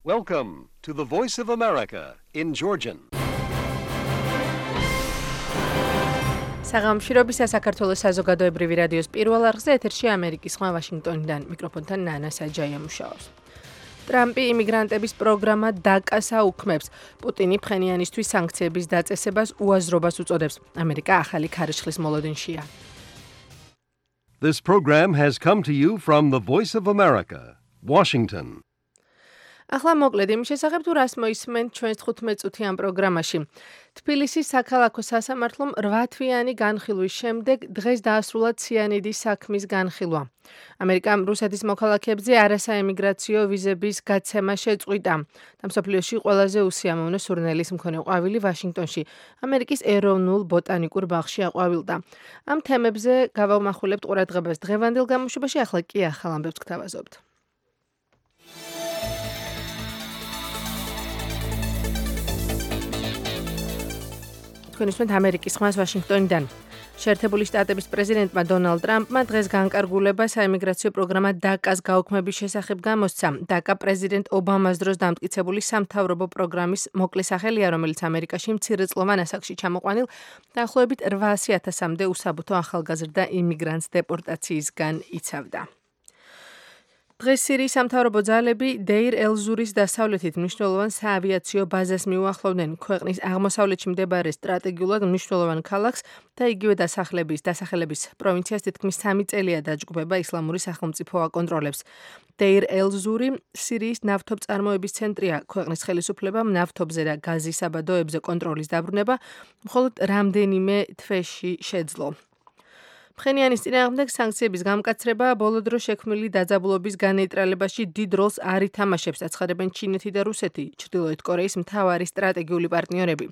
Welcome to the Voice of America in Georgian. საღამოშრობისა საქართველოს საზოგადოებრივი რადიოს პირველ არხზე ეთერში ამერიკის ხმა ვაშინგტონიდან მიკროფონთან ნანა საჯაია მუშაობს. ტრამპი იმიგრანტების პროგრამა დაკას აუქმებს. პუტინი ფხენიანისთვის სანქციების დაწესებას უაზრობას უწოდებს. ამერიკა ახალი ქარიშხლის მოლოდინშია. This program has come to you from the Voice of America, Washington. ახლა მოკლედ იმის შესახებ თუ რას მოისმენთ ჩვენს 15 წუთიან პროგრამაში. თბილისის საქალაქო სასამართლომ 8 თვიანი განხილვის შემდეგ დღეს დაასრულა ციანიდის საქმის განხილვა. ამერიკამ რუსეთის მოქალაქეებზე არასაემიგრაციო ვიზების გაცემა შეწყვიტა. და მსოფლიოში ყველაზე უსიამოვნო სურნელის მქონე ყვავილი ვაშინგტონში, ამერიკის ეროვნულ ბოტანიკურ ბაღში აყვავილდა. ამ თემებზე გავამახვილებთ ყურადღებას დღევანდელ გამოშვებაში, ახლა კი ახალ ამბებს გთავაზობთ. თქვენ უსმენთ ამერიკის ხმას ვაშინგტონიდან. შეერთებული შტატების პრეზიდენტმა დონალდ ტრამპმა დღეს განკარგულება საიმიგრაციო პროგრამა დაკას გაუქმების შესახებ გამოსცა. დაკა პრეზიდენტ ობამას დროს დამტკიცებული სამთავრობო პროგრამის მოკლე სახელია, რომელიც ამერიკაში მცირეწლოვან ასაკში ჩამოყვანილ დაახლოებით 800,000-მდე უსაბუთო ახალგაზრდა იმიგრანტს დეპორტაციისგან იცავდა. დღეს სირიის სამთავრობო ძალები დეირ ელ-ზურის დასავლეთით მნიშვნელოვან საავიაციო ბაზას მიუახლოვდნენ. ქვეყნის აღმოსავლეთში მდებარე სტრატეგიულად მნიშვნელოვან ქალაქს და იგივე დასახელების პროვინციას თითქმის 3 წელია დაჯგუფება ისლამური სახელმწიფო აკონტროლებს. დეირ ელ-ზური სირიის ნავთობწარმოების ცენტრია. ქვეყნის ხელისუფლებამ ნავთობზე და გაზის საბადოებზე კონტროლის დაბრუნება მხოლოდ რამდენიმე თვეში შეძლო. ფხენიანის წინააღმდეგ სანქციების გამკაცრება ბოლო დროს შექმნილი დაძაბულობის განეიტრალებაში დიდ როლს არ ითამაშებს, აცხადებენ ჩინეთი და რუსეთი, ჩრდილოეთ კორეის მთავარი სტრატეგიული პარტნიორები.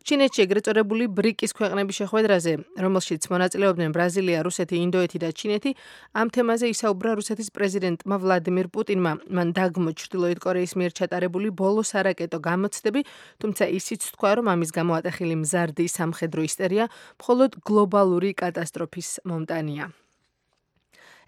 ჩინეთში ეგრეთ წოდებული ბრიკის ქვეყნების შეხვედრაზე, რომელშიც მონაწილეობდნენ ბრაზილია, რუსეთი, ინდოეთი და ჩინეთი, ამ თემაზე ისაუბრა რუსეთის პრეზიდენტმა ვლადიმირ პუტინმა. მან დაგმო ჩრდილოეთ კორეის მიერ ჩატარებული ბოლო სარაკეტო გამოცდები, თუმცა ისიც თქვა, რომ ამის გამო ატეხილი მზარდი სამხედრო ისტერია მხოლოდ გლობალური კატასტროფის მომტანია.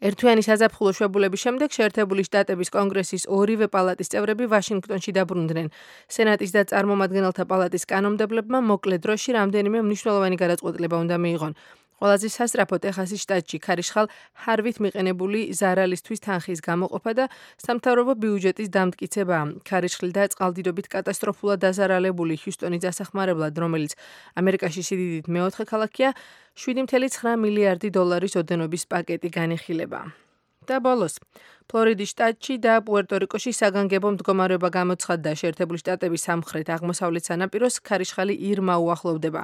ერთთვიანი საზაფხულო შვებულების შემდეგ შეერთებული შტატების კონგრესის ორივე პალატის წევრები ვაშინგტონში დაბრუნდნენ. სენატის და წარმომადგენელთა პალატის კანონმდებლებმა მოკლე დროში რამდენიმე მნიშვნელოვანი გადაწყვეტილება უნდა მიიღონ. ყველაზე სასწრაფო ტეხასის შტატში ქარიშხალ ჰარვით მიყენებული ზარალისთვის თანხის გამოყოფა და სამთავრობო ბიუჯეტის დამტკიცება. ქარიშხლი და წყალდიდობით კატასტროფულად დაზარალებული ჰიუსტონის დასახმარებლად, რომელიც ამერიკაში სიდიდით მეოთხე ქალაქია, 7.9 მილიარდი დოლარის ოდენობის პაკეტი განიხილება. და ბოლოს, ფლორიდის შტატში და პუერტო-რიკოში საგანგებო მდგომარეობა გამოცხადდა. შეერთებული შტატების სამხრეთ-აღმოსავლეთ სანაპიროს ქარიშხალი ირმა უახლოვდება.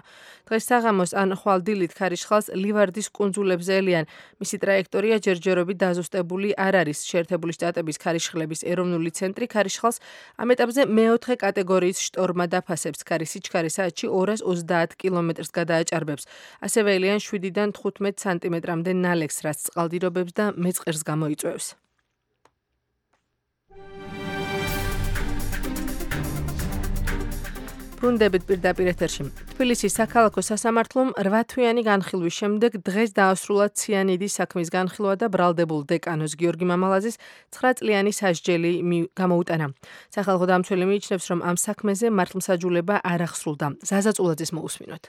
დღეს საღამოს ან ხვალ-დილით ქარიშხალს ლივარდის კუნძულებზე ელიან. მისი ტრაექტორია ჯერჯერობით დაზუსტებული არ არის. შეერთებული შტატების ქარიშხლების ეროვნული ცენტრი ქარიშხალს ამ ეტაპზე მეოთხე კატეგორიის შტორმად აფასებს. ქარის სიჩქარე საათში 230 კილომეტრს გადააჭარბებს. ასევე ელიან 7-დან 15 სანტიმეტრამდე ნალექს, რაც წყალდიდობებს და მეწყერს გამოიწვევს. ბრუნდებით პირდაპირ ეთერში. თბილისის საქალაქო სასამართლომ 8 თვიანი განხილვის შემდეგ დღეს დაასრულა ციანიდის საქმის განხილვა და ბრალდებულ დეკანოს გიორგი მამალაძის 9 წლიანი სასჯელი გამოუტანა. სახალხო დამცველი მიიჩნევს, რომ ამ საქმეზე მართლმსაჯულება არ აღსრულდა. ზაზა წულაძის მოусმინოთ.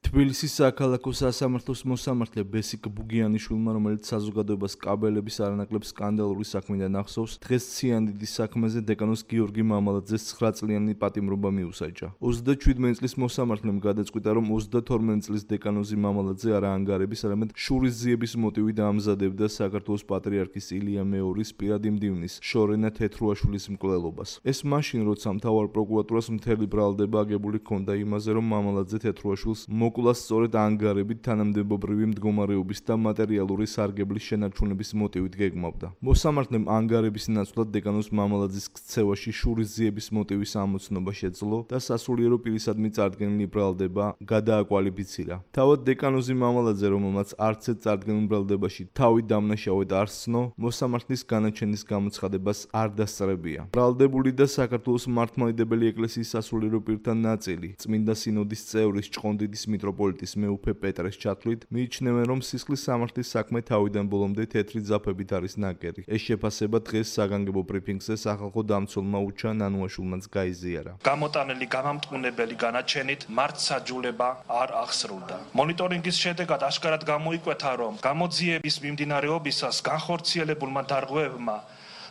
თბილისის საქალაქო სასამართლოს მოსამართლე ბესიკ ბუგიანიშვილმა, რომელიც საზოგადოებას კაბელების არანაკლებ სკანდალური საქმიდან ახსოვს, დღეს ციანიდის საქმეზე დეკანოს გიორგი მამალაძეს 9 წლიანი პატიმრობა მიუსაჯა. 37 წლის მოსამართლემ გადაწყვიტა, რომ 32 წლის დეკანოზი მამალაძე არა ანგარების, არამედ შურისძიების მოტივით ამზადებდა საქართველოს პატრიარქის ილია მეორის პირადი მდივნის შორენა თეთრუაშვილის მკვლელობას. ეს მაშინ, როცა მთავარ პროკურატურას მთელი ბრალდება აგებული ჰქონდა იმაზე, რომ მამალაძე თეთრუაშვილს მოკვლას სწორედ ანგარებით თანამდებობრივი მდგომარეობის და მატერიალური სარგებლის შენარჩუნების მოტივით გეგმავდა. მოსამართლემ ანგარების ნაცვლად დეკანოს მამალაძის ქცევაში შურისძიების მოტივის ამოცნობა შეძლო და სასულიერო პირისადმი წარდგენილი ბრალდება გადააკვალიფიცირა. თავად დეკანოზი მამალაძე, რომელმაც არც ერთ წარდგენილ ბრალდებაში თავი დამნაშავედ არ სცნო, მოსამართლის განაჩენის გამოცხადებას არ დასწრებია. ბრალდებული და საქართველოს მართლმადიდებელი ეკლესიის სასულიერო პირთა ნაწილი, წმინდა სინოდის წევრის ჭყონდიდის მიტროპოლიტის მეუფე პეტრეს ჩათვლით მიიჩნევენ, რომ სისხლის სამართლის საქმე თავიდან ბოლომდე თეთრი ძაფებით არის ნაკერი. ეს შეფასება დღეს საგანგებო ბრიფინგზე სახალხო დამცველმა უჩა ნანუაშვილმაც გაიზიარა. გამოტანილი გამამტყუნებელი განაჩენით მართსაჯულება არ აღსრულდა. მონიტორინგის შედეგად აშკარად გამოიკვეთა, რომ გამოძიების მიმდინარეობისას განხორციელებულმა დარღვევებმა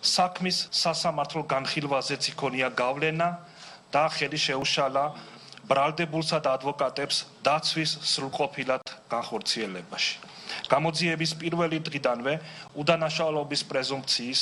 საქმის სასამართლო განხილვაზეც იქონია გავლენა და ხელი შეუშალა ბრალდებულსა და ადვოკატებს დაცვის სრულყოფილად განხორციელებაში. გამოძიების პირველი დღიდანვე უდანაშაულობის პრეზუმპციის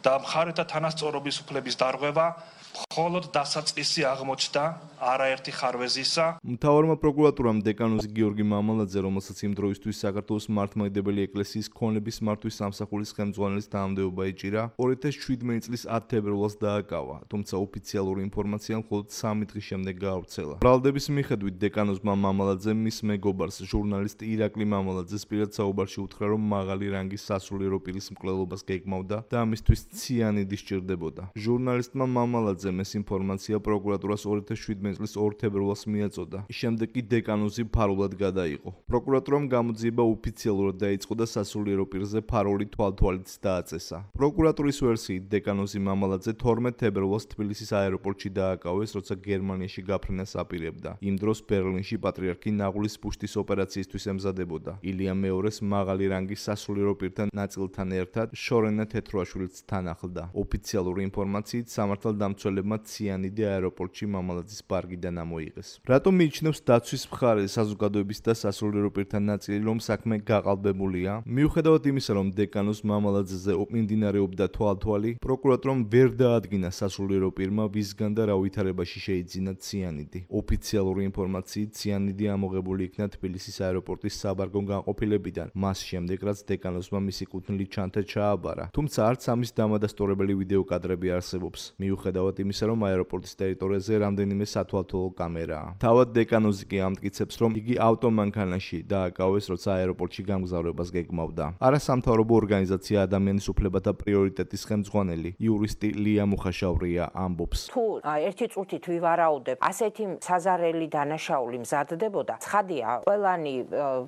და მხარეთა თანასწორობის უფლების დარღვევა მხოლოდ დასაწყისი აღმოჩნდა არაერთი ხარვეზისა. მთავარმა პროკურატურამ დეკანოზი გიორგი მამალაძე, რომელსაც იმ დროისთვის საქართველოს მართლმადიდებელი ეკლესიის ქონების მართვის სამსახურის ხელმძღვანელის თანამდებობა ეჭირა, 2017 წლის 10 თებერვალს დააკავა, თუმცა ოფიციალური ინფორმაცია მხოლოდ 3 დღის შემდეგ გაავრცელა. ბრალდების მიხედვით დეკანოზმა მამალაძემ მის მეგობარს, ჟურნალისტ ირაკლი მამალაძეს პირად საუბარში უთხრა, რომ მაღალი რანგის სასულიერო პირის მკვლელობას გეგმავდა და ამისთვის ციანიდი სჭირდებოდა. ჟურნალისტმა მამალაძემ ეს ინფორმაცია პროკურატურას 2017 წლის 2 თებერვალს მიაწოდა. შემდეგ კი დეკანოზი ფარულად გადაიღო. პროკურატურამ გამოძიება ოფიციალურად დაიწყო და სასულიერო პირზე ფარული თვალთვალიც დააწესა. პროკურატურის ვერსიით დეკანოზი მამალაძე 12 თებერვალს თბილისის აეროპორტში დააკავეს, როცა გერმანიაში გაფრენას აპირებდა. იმ დროს ბერლინში პატრიარქი ნაღulis პუშტის ოპერაციისთვის ემზადებოდა. ილია მეორეს მაღალი რანგის სასულიერო პირთან ნაწილთან ერთად შორენა თეთრუაშვილიც თან ახლდა. ოფიციალური ინფორმაციით სამართალდამცველებმა ციანიდი აეროპორტში მამალაძის პარკიდან ამოიღეს. რატომ მიიჩნევს დაცვის მხარე საზოგადოების და სასულიერო პირთან ნაწილი, რომ საქმე გაყალბებულია? მიუხედავად იმისა, რომ დეკანოზ მამალაძეზე მიმდინარეობდა თვალთვალი, პროკურატურამ ვერ დაადგინა სასულიერო პირმა, ვისგან და რა ვითარებაში შეიძინა ციანიდი. ოფიციალური ინფორმაციით ციანიდი ამოღებული იქნა თბილისის აეროპორტის საბარგო განყოფილებიდან, მას შემდეგ რაც დეკანოზმა მისი კუთვნილი ჩანთა ჩააბარა. თუმცა არც ამის დამადასტურებელი ვიდეო კადრები არსებობს. მიუხედავად იმისა, რომ აეროპორტის ტერიტორიაზე რამდენიმე სათვალთვალო კამერაა. თავად დეკანოზი კი ამტკიცებს, რომ იგი ავტომანქანაში დააკავეს, როცა აეროპორტში გამგზავრებას გეგმავდა. არასამთავრობო ორგანიზაცია ადამიანის უფლებათა პრიორიტეტის ხელმძღვანელი იურისტი ლია მუხაშავრია ამბობს. თუ ერთი წუთით ვივარაუდებ, ასეთი საზარელი დანაშაული მზადდებოდა, ცხადია, ყველანი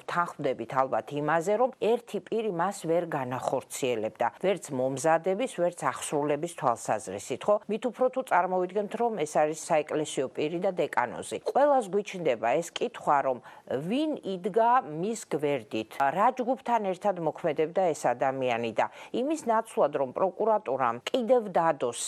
თანხმდებით ალბათ იმაზე, რომ ერთი პირი მას ვერ განახორციელებდა, ვერც მომზადების, ვერც აღსრულების თვალსაზრისით, ხო? მით უფრო თუ წარმოვიდგენთ, რომ ეს არის საეკლესიო პირი და დეკანოზი. ყველას გვიჩნდება ეს კითხვა, რომ ვინ იდგა მის გვერდით, რა ჯგუფთან ერთად მოქმედებდა ეს ადამიანი და იმის ნაცვლად, რომ პროკურატურამ კიდევ დადოს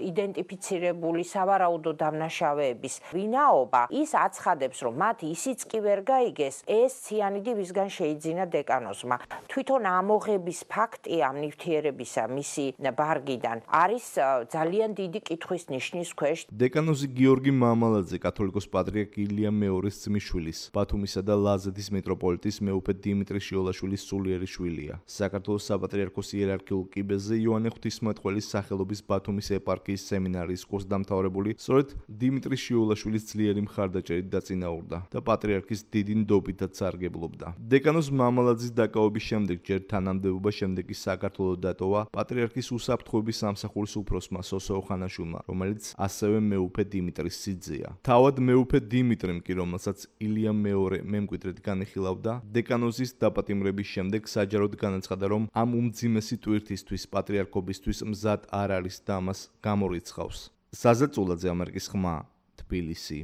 იდენტიფიცირებული სავარაუდო დამნაშავეების ვინაობა, ის აცხადებს, რომ მათ ისიც კი ვერ გაიგეს, ეს ციანიდი ვისგან შეიძინა დეკანოზმა. თვითონ ამოღების ფაქტი ამ ნივთიერებისა მისი ბარგიდან არის ძალიან დიდი კითხვის ნიშნის ქვეშ. დეკანოზი გიორგი მამალაძე კათოლიკოს პატრიარქ ილია მეორის ძმისშვილის, ბათუმისა და ლაზეთის მიტროპოლიტის მეუფე დიმიტრი შიოლაშვილის სულიერი შვილია. საქართველოს საპატრიარქოს იერარქიულ კიბეზე იოანე ღვთისმეტყველის სახელობის ბათუმის ეპარქიის სემინარიის კურსდამთავრებული სწორედ დიმიტრი შიოლაშვილის ძლიერი მხარდაჭერით დაწინაურდა და პატრიარქის დიდი ნდობითაც სარგებლობდა. დეკანოზ მამალაძის დაკავების შემდეგ ჯერ თანამდებობა, შემდეგ კი საქართველოს დატოვა პატრიარქის უსაფრთხოების სამსახურის უფროსმა სოსო ოხანაშვილმა, რომელიც ასევე მეუფე დიმიტრის სიძეა. თავად მეუფე დიმიტრიმ კი, რომელსაც ილია მეორე მემკვიდრედ განიხილავდა, დეკანოზის დაპატიმრების შემდეგ საჯაროდ განაცხადა, რომ ამ უმძიმესი ტვირთისთვის პატრიარქობისთვის მზად არ არის და ამას გამორიცხავს. საზა წულაძე, ამერიკის ხმა, თბილისი.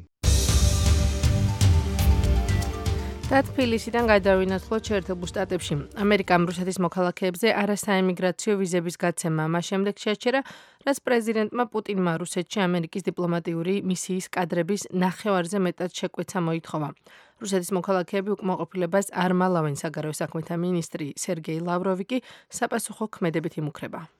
და თბილისიდან გადავინაცვლოთ შეერთებულ შტატებში. ამერიკამ რუსეთის მოქალაქეებზე არასაემიგრაციო ვიზების გაცემა მას შემდეგ შეაჩერა, რაც პრეზიდენტმა პუტინმა რუსეთში ამერიკის დიპლომატიური მისიის კადრების ნახევარზე მეტად შეკვეცა მოითხოვა. რუსეთის მოქალაქეები უკმაყოფილებას არ მალავენ, საგარეო საქმეთა მინისტრი სერგეი ლავროვი კი საპასუხო ქმედებით იმუქრება.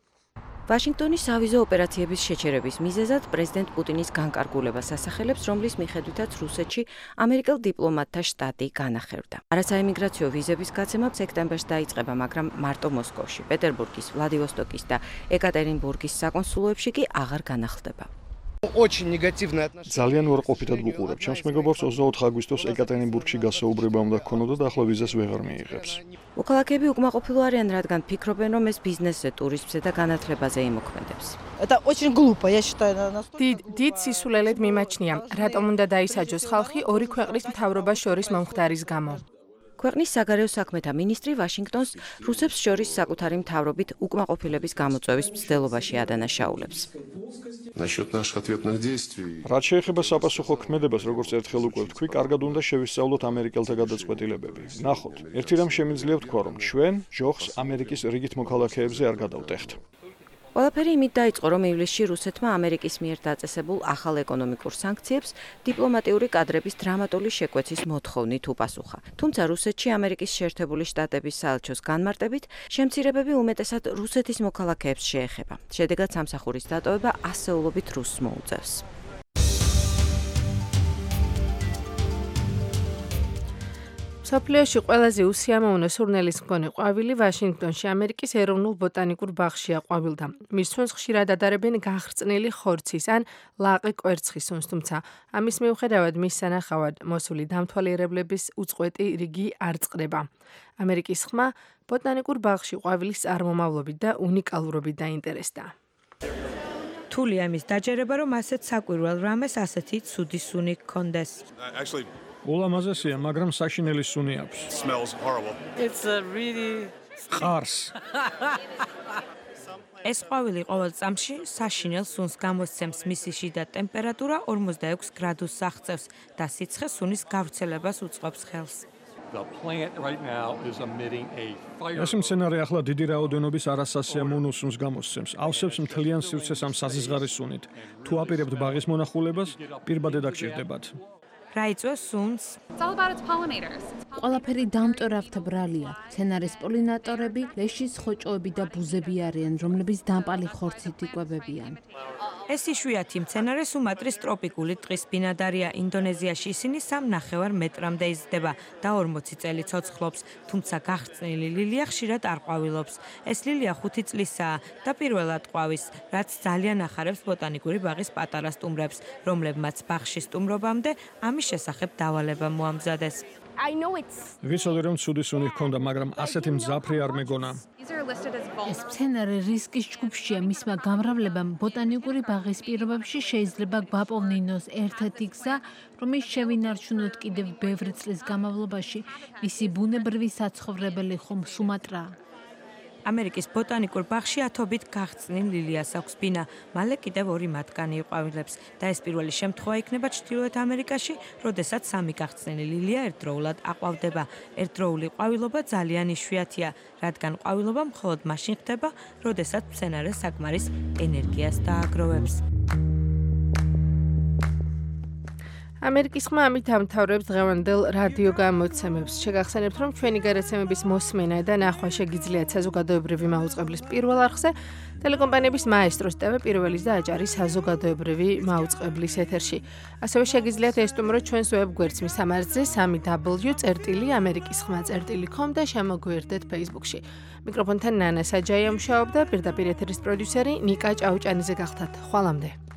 ვაშინგტონის ავიზო ოპერაციების შეჩერების მიზეზად პრეზიდენტ პუტინის განკარგულებას ასახელებს, რომლის მიხედვითაც რუსეთში ამერიკელ დიპლომატთა შტატი განახერდა. არასაემიგრაციო ვიზების გაცემა სექტემბერში დაიწყება, მაგრამ მარტო მოსკოვში, პეტერბურგის, ვლადივოსტოკის და ეკატერინბურგის საკონსულოებში კი აღარ განახლდება. Очень негативное отношение. ძალიან უარყოფითად გუყურებ. ჩემს მეგობარს 24 აგვისტოს ეკატერინბურგში გასაუბრება უნდა ქონოდა და ახლა ვიზას ვეღარ მიიღებს. მოქალაქეები უკმაყოფილო არიან, რადგან ფიქრობენ, რომ ეს ბიზნესზე, ტურიზმზე და განათლებაზე იმოქმედებს. Это очень глупо, я считаю, დიდ სისულელედ მიმაჩნია, რატომ უნდა დაისაჯოს ხალხი ორი ქვეყნის მთავრობას შორის მომხდარის გამო. ქვეყნის საგარეო საქმეთა მინისტრი ვაშინგტონს რუსებს შორის საკუთარი მთავრობით უკმაყოფილების გამოწვევის მცდელობაში ადანაშაულებს. Насчет наших ответных действий. რაც შეეხება საპასუხო ქმედებას, როგორც ერთხელ უკვე ვთქვი, კარგად უნდა შევისწავლოთ ამერიკელთა გადაწყვეტილებები. ნახოთ, ერთი რამ შემიძლია ვთქვა, რომ ჩვენ ჯოხს ამერიკის რიგით მოქალაქეებზე არ გადავტეხთ. ყველაფერი იმით დაიწყო, რომ ივლისში რუსეთმა ამერიკის მიერ დაწესებულ ახალ ეკონომიკურ სანქციებს დიპლომატიური კადრების დრამატული შეკვეცის მოთხოვნით უპასუხა. თუმცა რუსეთში ამერიკის შეერთებული შტატების საელჩოს განმარტებით, შემცირებები უმეტესად რუსეთის მოქალაქეებს შეეხება. შედეგად სამსახურის დატოვება ასეულობით რუსს მოუწევს. სოფლიოში ყველაზე უსიამოვნო სურნელის მქონე ყვავილი ვაშინგტონში ამერიკის ეროვნულ ბოტანიკურ ბაღშია ყვავილდა. მის სუნს ხშირად ადარებენ გახრწნილი ხორცის ან ლაყი კვერცხის სუნს, თუმცა ამის მიუხედავად მის სანახავად მოსული დამთვალიერებლების უწყვეტი რიგი არ წყდება. ამერიკის ხმა ბოტანიკურ ბაღში ყვავილის წარმომავლობით და უნიკალურობით დაინტერესდა. რთულია იმის დაჯერება, რომ ასეთ საკვირველ რამეს ასეთი ცუდი სუნი გქონდეს. ულამაზესია, მაგრამ საშინელი სუნი აქვს. It's really ყარს. ეს ყვავილი ყოველ წამში საშინელ სუნს გამოსცემს, მისი შიდა ტემპერატურა 46 გრადუსს აღწევს და სიცხე სუნის გავრცელებას უწყობს ხელს. ეს მცენარე ახლა დიდი რაოდენობის არასასიამოვნო სუნს გამოსცემს. ავსებს მთლიან სივრცეს ამ საზღარის სუნით. თუ აპირებთ ბაღის მონახულებას, პირბადე დაგჭირდებათ. რა იწვევს სუნს? ყველაფერი დამტვერავთა ბრალია. მცენარის პოლინატორები, ლეშის ხოჭოები და ბუზები არიან, რომლებიც დამპალი ხორცით იკვებებიან. ეს იშვიათი მცენარე სუმატრის ტროპიკული ტყის ბინადარია. ინდონეზიაში ისინი 3,5 მეტრამდე იზრდება და 40 წელი ცოცხლობს, თუმცა გახრწნილი ლილია ხშირად არ ყვავილობს. ეს ლილია 5 წლისაა და პირველად ყვავის, რაც ძალიან ახარებს ბოტანიკური ბაღის პატარა სტუმრებს, რომლებმაც ბაღში სტუმრობამდე ამის შესახებ დავალება მოამზადეს. ვიცოდი რომ ცუდი სუნი ჰქონდა, მაგრამ ასეთი მძაფრი არ მეგონა. ეს მცენარე რისკის ჯგუფშია, მისმა გამრავლებამ ბოტანიკური ბაღის პირობებში შეიძლება გვაპოვნინოს ერთ-ერთი გზა, რომელიც შევინარჩუნოთ კიდევ ბევრი წლის განმავლობაში. მისი ბუნებრივი საცხოვრებელი ხომ სუმატრაა. ამერიკის ბოტანიკურ ბაღში ათობით გახრწნილ ლილიას აქვს ბინა, მალე კიდევ 2 მათგანი იყვავილებს და ეს პირველი შემთხვევა იქნება ჩრდილოეთ ამერიკაში, როდესაც 3 გახრწნილი ლილია ერთდროულად აყვავდება. ერთდროული ყვავილობა ძალიან იშვიათია, რადგან ყვავილობა მხოლოდ მაშინ ხდება, როდესაც მცენარე საკმარის ენერგიას დააგროვებს. ამერიკის ხმა ამით ამთავრებს დღევანდელ რადიო გამოცემებს. შეგახსენებთ, რომ ჩვენი გადაცემების მოსმენა და ნახვა შეგიძლიათ საზოგადოებრივი მაუწყებლის პირველ არხზე, ტელეკომპანიების მაესტროს TV პირველის და აჭარის საზოგადოებრივი მაუწყებლის ეთერში. ასევე შეგიძლიათ ესტუმროთ ჩვენს ვებგვერდს მის სამარცზე www.amerikisxma.com და შემოგვიერთდეთ Facebook-ში. მიკროფონთან ნანა საჯაია მუშაობდა, პირდაპირ ეთერის პროდიუსერი ნიკა ჭაუჭანიძე გახდათ. ხვალამდე.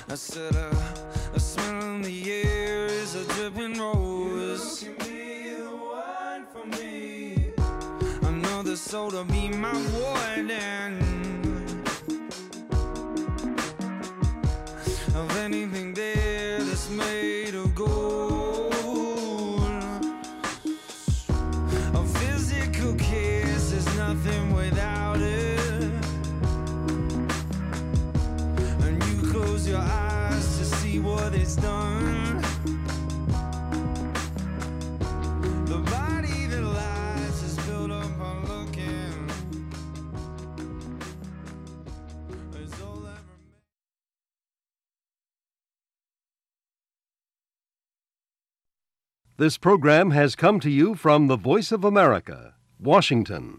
I said a smell in the air is a dripping rose. Give me the wine for me. I know the soda be my warden. Of anything there that's made of gold. A physical kiss is nothing without it. And you close your eyes to see what it's done. The body that lies is built up on looking. It's all that This program has come to you from the Voice of America, Washington.